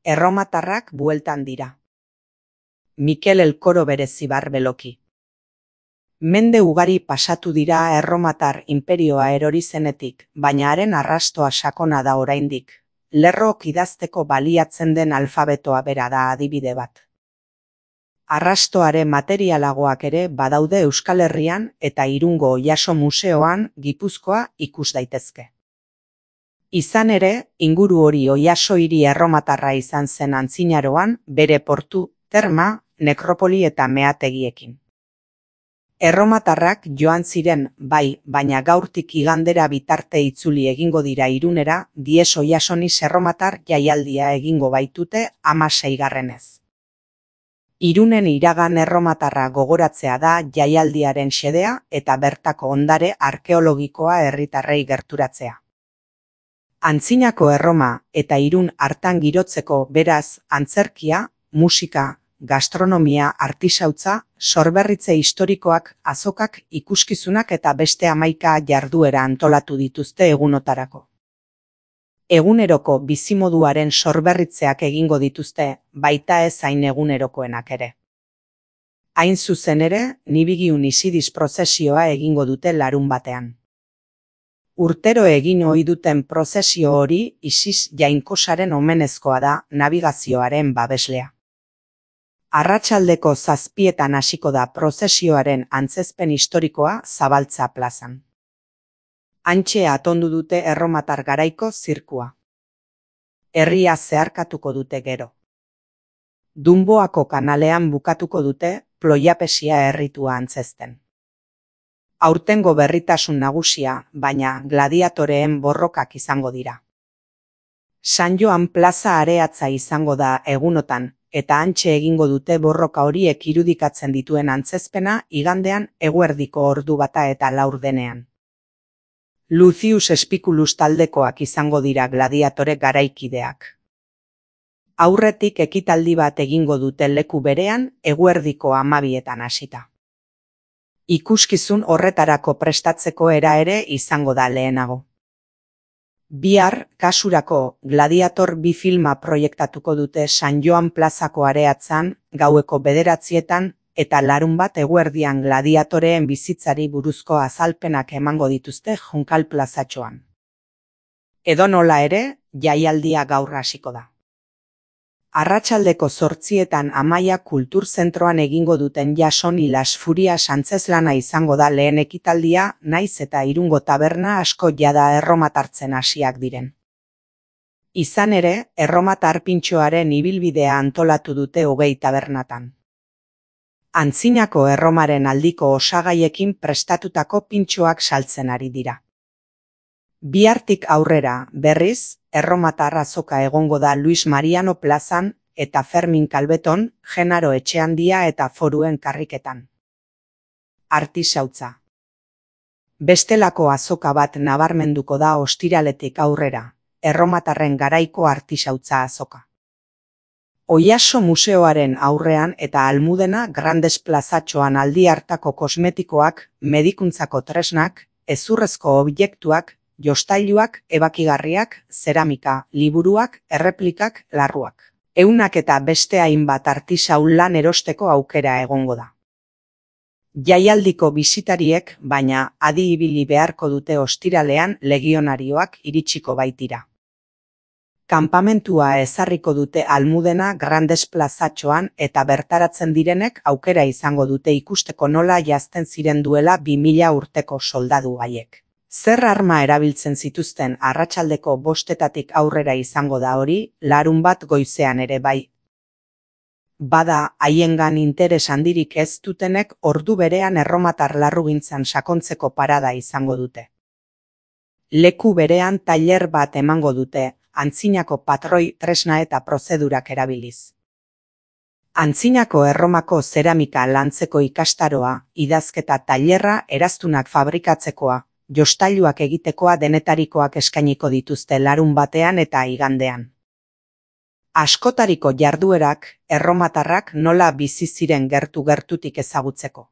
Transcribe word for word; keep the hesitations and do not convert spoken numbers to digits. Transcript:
Erromatarrak bueltan dira. Mikel Elkoro berezi barbeloki. Mende ugari pasatu dira erromatar inperioa erori zenetik, baina haren arrastoa sakona da oraindik. Lerrook idazteko baliatzen den alfabetoa bera da adibide bat. Arrastoare materialagoak ere badaude Euskal Herrian eta Irungo Oiaso Museoan Gipuzkoa ikus daitezke. Izan ere, inguru hori Oiaso hiri erromatarra izan zen antzinaroan, bere portu, terma, nekropoli eta meategiekin. Erromatarrak joan ziren, bai, baina gaurtik igandera bitarte itzuli egingo dira Irunera, Dies Oiasonis erromatar jaialdia egingo baitute hamaseigarrenez. Irunen iragan erromatarra gogoratzea da jaialdiaren xedea eta bertako ondare arkeologikoa herritarrei gerturatzea. Antzinako Erroma eta Irun hartan girotzeko beraz antzerkia, musika, gastronomia, artisautza, sorberritze historikoak, azokak, ikuskizunak eta beste hamaika jarduera antolatu dituzte egunotarako. Eguneroko bizimoduaren sorberritzeak egingo dituzte, baita ez hain egunerokoenak ere. Hain zuzen ere, Nibigiun Isidis prozesioa egingo dute larun batean. Urtero egin ohi duten prozesio hori Isis jainkosaren omenezkoa da nabigazioaren babeslea. Arratsaldeko zazpietan hasiko da prozesioaren antzezpen historikoa Zabaltza plazan. Hantxe atondu dute erromatar garaiko zirkua. Herria zeharkatuko dute gero. Dunboako kanalean bukatuko dute Ploiapesia erritua antzezten. Aurtengo berritasun nagusia, baina gladiatoreen borrokak izango dira. San Joan plaza areatza izango da egunotan, eta hantxe egingo dute borroka horiek irudikatzen dituen antzezpena igandean eguerdiko ordu bata eta laurdenean. Lucius Spiculus taldekoak izango dira gladiatore garaikideak. Aurretik ekitaldi bat egingo dute leku berean eguerdiko hamabietan hasita. Ikuskizun horretarako prestatzeko era ere izango da lehenago. Bihar, kasurako, Gladiator bi filma proiektatuko dute San Joan plazako areatzan, gaueko bederatzietan, eta larun bat eguerdian gladiatoreen bizitzari buruzko azalpenak emango dituzte Junkal plazatxoan. Edonola ere, jaialdia gaur hasiko da. Arratsaldeko zortzietan Amaia Kulturzentroan egingo duten Jasoni Las Furias antzeslana izango da lehen ekitaldia, naiz eta Irungo taberna asko jada erromatartzen hasiak diren. Izan ere, erromatar pintxoaren ibilbidea antolatu dute hogei tabernatan. Antzinako Erromaren aldiko osagaiekin prestatutako pintxoak saltzen ari dira. Bihartik aurrera, berriz, erromatar azoka egongo da Luis Mariano plazan eta Fermin Kalbeton, Genaro Etxeandia eta Foruen karriketan. Artisautza. Bestelako azoka bat nabarmenduko da ostiraletik aurrera, erromatarren garaiko artisautza azoka. Oiaso Museoaren aurrean eta Almudena Grandes plazatxoan aldi hartako kosmetikoak, medikuntzako tresnak, hezurrezko objektuak, jostailuak, ebakigarriak, zeramika, liburuak, erreplikak, larruak. Eunak eta beste hainbat artisau lan erosteko aukera egongo da. Jaialdiko bisitariek, baina adi ibili beharko dute ostiralean legionarioak iritsiko baitira. Kanpamentua ezarriko dute Almudena Grandes plazatxoan eta bertaratzen direnek aukera izango dute ikusteko nola jazten ziren duela bi mila urteko soldadu haiek. Zer arma erabiltzen zituzten arratsaldeko bostetatik aurrera izango da hori, larun bat goizean ere bai. Bada, haiengan interes handirik ez dutenek ordu berean erromatar larrugintzan sakontzeko parada izango dute. Leku berean tailer bat emango dute, antzinako patroi tresna eta prozedurak erabiliz. Antzinako Erromako zeramika lantzeko ikastaroa, idazketa tailerra eraztunak fabrikatzekoa, jostailuak egitekoa denetarikoak eskainiko dituzte larun batean eta igandean. Askotariko jarduerak, erromatarrak nola bizi ziren gertu-gertutik ezagutzeko.